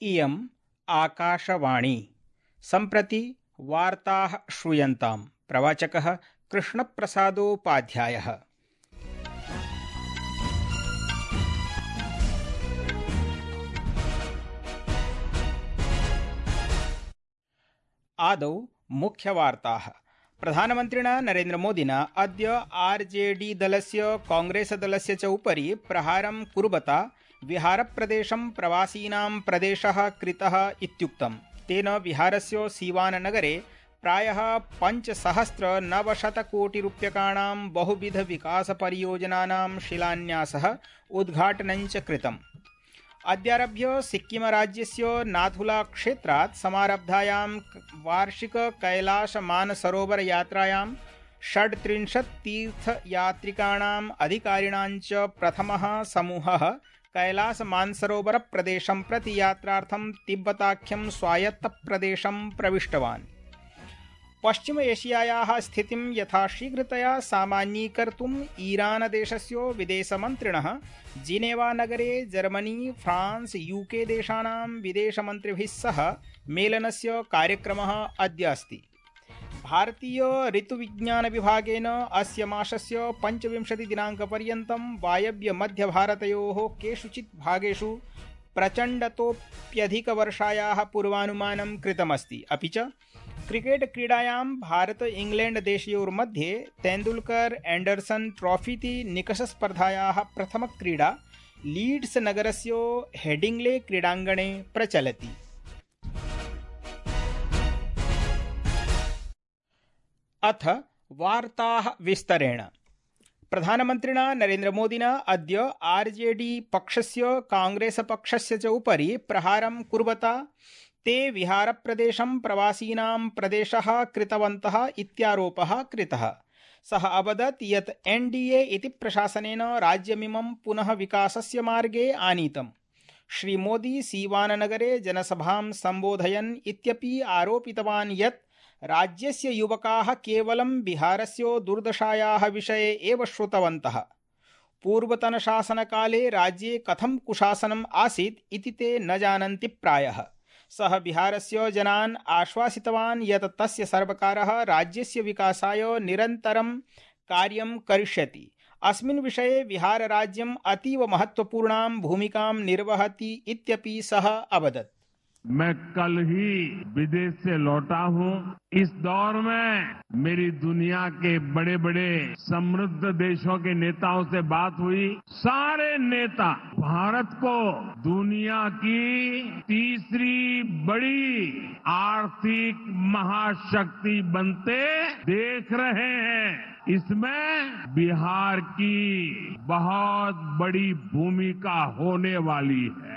इयम् आकाशवाणी। सम्प्रति वार्ताः श्रूयन्ताम्। प्रवाचकः कृष्णप्रसादोपाध्यायः। आदौ मुख्यवार्ताः। प्रधानमन्त्रिणा नरेन्द्रमोदिना अद्य आरजेडी दलस्य कांग्रेस दलस्य च उपरि प्रहारं कुर्वता बिहारप्रदेशं प्रवासीनां प्रदेशः कृतः इत्युक्तम्। तेन बिहारस्य सीवाननगरे प्रायः 5,900 कोटिरूप्यकाणां बहुविधविकासपरियोजनानां शिलान्यासः उद्घाटनञ्च कृतम्। अद्यारभ्य सिक्किमराज्यस्य नाथुला क्षेत्रात् समारब्धायां वार्षिक कैलासमानसरोवरयात्रायां 36 तीर्थयात्रिकाणाम् अधिकारिणां च प्रथमः समूहः कैलासमानसरोवरप्रदेशं प्रति यात्रार्थं तिब्बताख्यं स्वायत्तप्रदेशं प्रविष्टवान्। पश्चिम एशियायाः स्थितिं यथाशीघ्रतया सामान्यीकर्तुम् ईरानदेशस्य विदेशमन्त्रिणः जिनेवानगरे जर्मनी, फ्रांस, यूके देशानां विदेशमन्त्रिभिः सह मेलनस्य कार्यक्रमः अद्य अस्ति। भारतीय ऋतुविज्ञानविभागेन अस्य मासस्य 25 दिनाङ्कपर्यन्तं वायव्यमध्यभारतयोः केषुचित् भागेषु प्रचण्डतोऽप्यधिकवर्षायाः पूर्वानुमानं कृतमस्ति। अपि च क्रिकेट क्रीडायां भारत इंग्लैंड देशयोर्मध्ये तेंदुलकर एंडरसन ट्रॉफीति निकषस्पर्धायाः प्रथमक्रीडा लीड्स नगरस्य हेडिंग्ले क्रीडाङ्गणे प्रचलति। अथ वार्ताः विस्तरेण। प्रधानमन्त्रिणा नरेन्द्रमोदिना अद्य आरजेडी पक्षस्य कांग्रेस पक्षस्य च उपरि प्रहारं कुर्वता ते बिहारप्रदेशं प्रवासीनां प्रदेशः कृतवन्तः इत्यारोपः कृतः। सः अवदत् यत् एनडीए इति प्रशासनेन राज्यमिमं पुनः विकासस्य मार्गे आनीतम्। श्रीमोदी सीवाननगरे जनसभां सम्बोधयन् इत्यपि आरोपितवान् यत् राज्यस्य युवकाः केवलं बिहारस्य दुर्दशायाः विषये एव श्रुतवन्तः। पूर्वतनशासनकाले राज्ये कथं कुशासनम् आसीत् इति ते न जानन्ति प्रायः। सः बिहारस्य जनान् आश्वासितवान् यत् तस्य सर्वकारः राज्यस्य विकासाय निरन्तरं कार्यं करिष्यति। अस्मिन् विषये बिहारराज्यम् अतीव महत्वपूर्णां भूमिकां निर्वहति इत्यपि सः अवदत्। मैं कल ही विदेश से लौटा हूं। इस दौर में मेरी दुनिया के बड़े बड़े समृद्ध देशों के नेताओं से बात हुई। सारे नेता भारत को दुनिया की तीसरी बड़ी आर्थिक महाशक्ति बनते देख रहे हैं। इसमें बिहार की बहुत बड़ी भूमिका होने वाली है।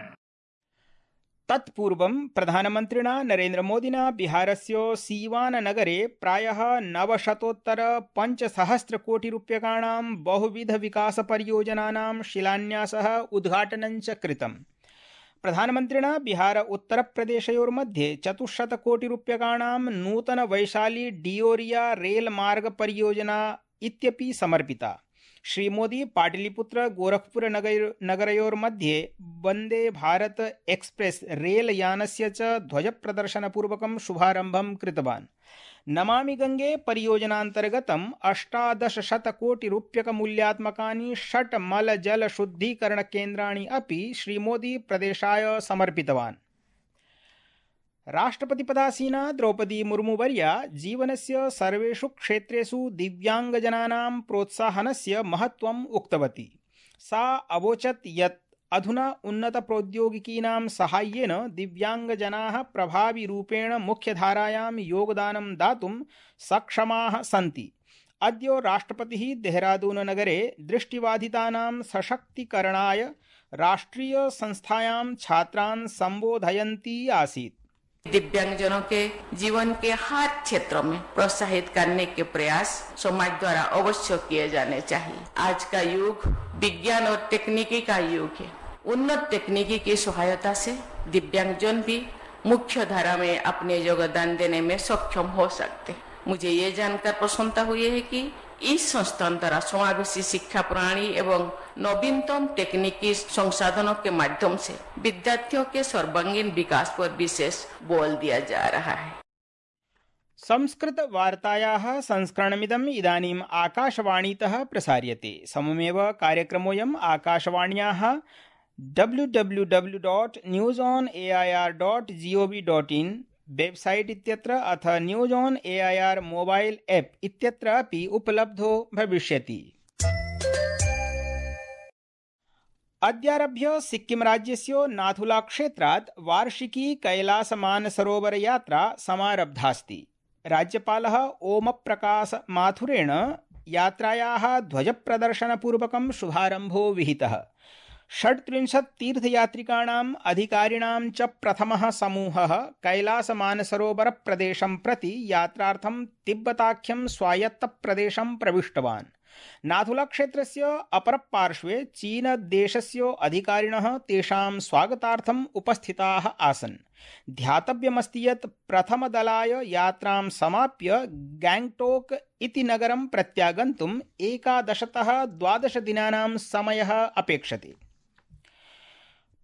तत्पूर्वं प्रधानमन्त्रिणा नरेन्द्रमोदिना बिहारस्य सीवाननगरे प्रायः 900-5,000 कोटिरूप्यकाणां बहुविधविकासपरियोजनानां शिलान्यासः उद्घाटनञ्च कृतम्। प्रधानमन्त्रिणा बिहार उत्तरप्रदेशयोर्मध्ये 400 कोटिरूप्यकाणां नूतनवैशाली डियोरिया रेलमार्गपरियोजना इत्यपि समर्पिता। श्रीमोदी पाटलिपुत्र गोरखपुर नगरयोर्मध्ये वन्दे भारत एक्सप्रेस रेलयानस्य च ध्वजप्रदर्शनपूर्वकं शुभारम्भं कृतवान्। नमामि गंगे परियोजनान्तर्गतम् 1800 कोटिरूप्यकमूल्यात्मकानि 6 मलजलशुद्धीकरणकेन्द्राणि अपि श्रीमोदी प्रदेशाय समर्पितवान्। राष्ट्रपतिपदासीना द्रौपदी मुर्मुवर्या जीवनस्य सर्वेषु क्षेत्रेषु दिव्यांगजनानां प्रोत्साहनस्य महत्त्वम् उक्तवती। सा अवोचत् यत् अधुना उन्नतप्रौद्योगिकीनां साहाय्येन दिव्यांगजनाः प्रभाविरूपेण मुख्यधारायां योगदानं दातुं सक्षमाः सन्ति। अद्य राष्ट्रपतिः देहरादूननगरे दृष्टिबाधितानां सशक्तीकरणाय राष्ट्रीयसंस्थायां छात्रान् सम्बोधयन्ती आसीत्। दिव्यांगजनों के जीवन के हर क्षेत्रों में प्रोत्साहित करने के प्रयास समाज द्वारा अवश्य किए जाने चाहिए। आज का युग विज्ञान और तकनीकी का युग है। उन्नत तकनीकी की सहायता से दिव्यांगजन भी मुख्य धारा में अपने योगदान देने में सक्षम हो सकते हैं। मुझे ये जानकर प्रसन्नता हुई है कि इस संस्थान द्वारा समावेशी शिक्षा प्रणाली एवं नवीनतम तकनीकी संसाधनों के माध्यम से विद्यार्थियों के सर्वांगीण विकास पर विशेष बल दिया जा रहा है। संस्कृत वार्तायाः संस्करणमिदम् इदानीम् आकाशवाणीतः प्रसार्यते। सममेव कार्यक्रमोऽयम् आकाशवाण्याः www.newsonair.gov.in वेबसाइट इत्यत्र अथ news on AIR mobile app इत्यत्र अपि उपलब्धो भविष्यति। अद्यारभ्य सिक्किम राज्यस्य नाथुला क्षेत्रात् वार्षिकी कैलासमानसरोवर यात्रा समारब्धास्ति। राज्यपालः ओमप्रकाश माथुरेण यात्रायाः ध्वजप्रदर्शनपूर्वकं शुभारम्भो विहितः। 36 तीर्थयात्रिकाणाम् अधिकारिणां च प्रथमः समूहः कैलासमानसरोवर प्रदेशं प्रति यात्रार्थं तिब्बताख्यं स्वायत्तप्रदेशं प्रविष्टवान्। नाथुला क्षेत्रस्य अपरपार्श्वे चीनदेशस्य अधिकारिणः तेषां स्वागतार्थम् उपस्थिताः आसन्। ध्यातव्यमस्ति यत् प्रथमदलाय यात्रां समाप्य गैंगटोक इति नगरं प्रत्यागन्तुम् 11-12 दिनानां समयः अपेक्षते।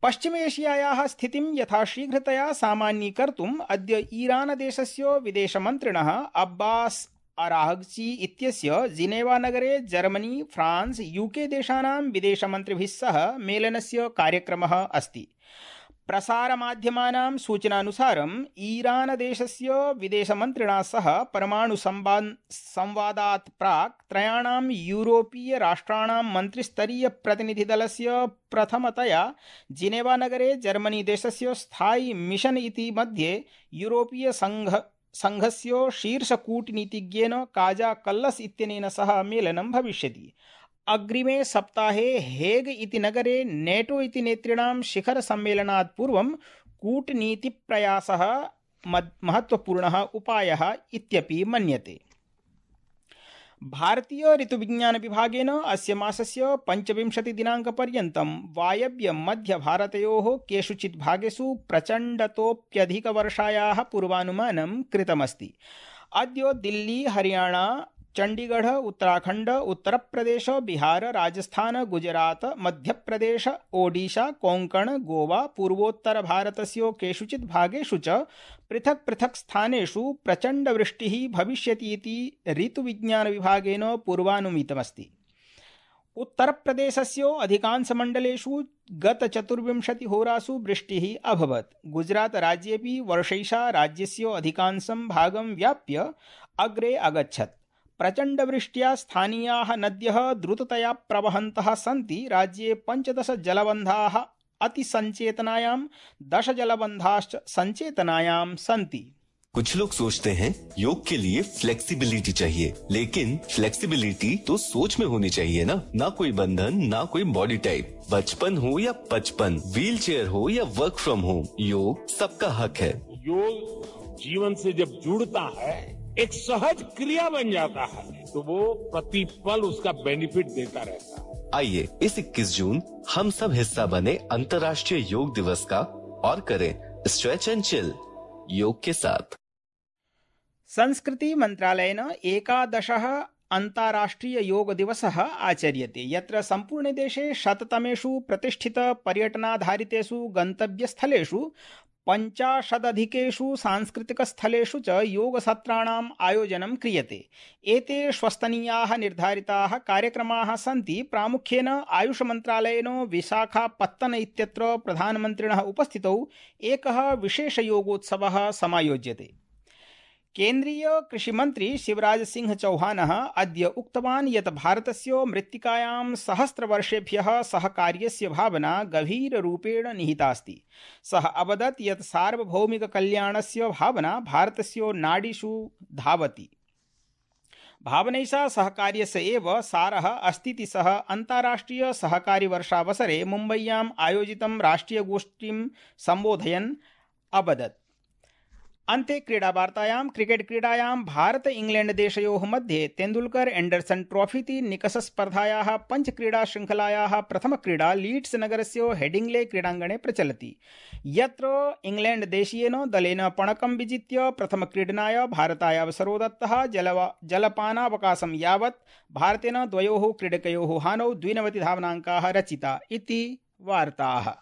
पश्चिमेशियायाः स्थितिं यथाशीघ्रतया सामान्यीकर्तुम् अद्य ईरानदेशस्य विदेशमन्त्रिणः अब्बास अराघची इत्यस्य जिनेवा नगरे जर्मनी, फ्रांस, यूके देशानां विदेशमन्त्रिभिः सह मेलनस्य कार्यक्रमः अस्ति। प्रसारमाध्यमानां सूचनानुसारम् ईरानदेशस्य विदेशमन्त्रिणा सह परमाणुसंवादात् प्राक् त्रयाणां यूरोपीय राष्ट्राणां मन्त्रिस्तरीयप्रतिनिधिदलस्य प्रथमतया जिनेवा नगरे जर्मनी देशस्य स्थायी मिशन इति मध्ये यूरोपीय संघस्य शीर्षकूटनीतिज्ञेन काजा कल्लस इत्यनेन सह मेलनं भविष्यति। अग्रिमे सप्ताहे हेग इति नगरे नेटो इति नेतॄणां शिखर सम्मेलनात् पूर्वं कूटनीतिप्रयासः महत्वपूर्णः उपायः इत्यपि मन्यते। भारतीय ऋतुविज्ञान विभागेन अस्य मासस्य 25 दिनाङ्कपर्यन्तं वायव्य मध्य भारतयोः केषुचित् भागेषु प्रचण्डतोप्यधिकवर्षायाः पूर्वानुमानं कृतमस्ति। अद्य दिल्ली, हरियाणा, चंडीगढ़, उत्तराखंड, उत्तर प्रदेश, बिहार, राजस्थान, गुजरात, मध्यप्रदेश, ओडिशा, कोंकण, गोवा, पूर्वोत्तर भारतस्य केषुचित् भागेषु च पृथक् पृथक् स्थानेषु प्रचण्डवृष्टिः भविष्यति इति ऋतुविज्ञान विभागेन पूर्वानुमितमस्ति। उत्तरप्रदेशस्य अधिकांशमण्डलेषु गत 24 होरासु वृष्टिः अभवत्। गुजरात राज्येपि वर्षैषा राज्यस्य अधिकांशं भागं व्याप्य अग्रे अगच्छत्। प्रचण्डवृष्ट्या स्थानीयाः नद्यः द्रुततया प्रवहन्तः सन्ति। राज्ये 15 जलबन्धाः अतिसंचेतनायां, 10 जलबन्धाश्च संचेतनायां सन्ति। कुछ लोग सोचते हैं योग के लिए फ्लेक्सिबिलिटी चाहिए, लेकिन फ्लेक्सिबिलिटी तो सोच में होनी चाहिए ना कोई बंधन, ना कोई बॉडी टाइप। बचपन हो या 55, व्हील चेयर हो या वर्क फ्रॉम होम, योग सबका हक है। योग जीवन से जब जुड़ता है, एक सहज क्रिया बन जाता है, तो वो प्रतिपल उसका बेनिफिट देता रहता है। आइए इस 21 जून हम सब हिस्सा बने अंतर्राष्ट्रीय योग दिवस का और करें स्ट्रेच एंड चिल योग के साथ। संस्कृति मंत्रालयेन 11 अन्ताराष्ट्रिय योग दिवसः आचर्यते, यत्र सम्पूर्णे देशे 100तमेषु प्रतिष्ठित पर्यटनाधारितेषु गन्तव्यस्थलेषु 50 सांस्कृतिकस्थलेषु च योगसत्राणाम् आयोजनं क्रियते। एते श्वस्तनीयाः निर्धारिताः कार्यक्रमाः सन्ति। प्रामुख्येन आयुष मन्त्रालयेन विशाखापत्तन इत्यत्र प्रधानमन्त्रिणः उपस्थितौ एकः विशेषयोगोत्सवः समायोज्यते। केन्द्रीय कृषिमन्त्री शिवराज सिंह चौहानः अद्य उक्तवान् यत् भारतस्य मृत्तिकायां सहस्रवर्षेभ्यः सहकार्यस्य भावना गभीररूपेण निहितास्ति। सः अवदत् यत् सार्वभौमिककल्याणस्य भावना भारतस्य नाडीषु धावति। भावनैषा सहकार्यस्य एव सारः अस्तीति सः अन्ताराष्ट्रिय सहकारी वर्षावसरे मुम्बय्याम् आयोजितं राष्ट्रियगोष्ठीं सम्बोधयन् अवदत्। अन्ते क्रीडावार्तायां क्रिकेट क्रीडायां भारत इंग्लैंड देशयोः मध्ये तेंदुलकर एंडरसन ट्रॉफी इति निकषस्पर्धायाः पञ्चक्रीडाशृङ्खलायाः प्रथमक्रीडा लीड्स् नगरस्य हेडिंग्ले क्रीडाङ्गणे प्रचलति, यत्र इंग्लैंड देशीयेन दलेन पणकं विजित्य प्रथमक्रीडनाय भारताय अवसरो दत्तः। जलपानावकाशं यावत् भारतेन द्वयोः क्रीडकयोः हानौ 92 धावनाङ्काः रचिता इति वार्ताः।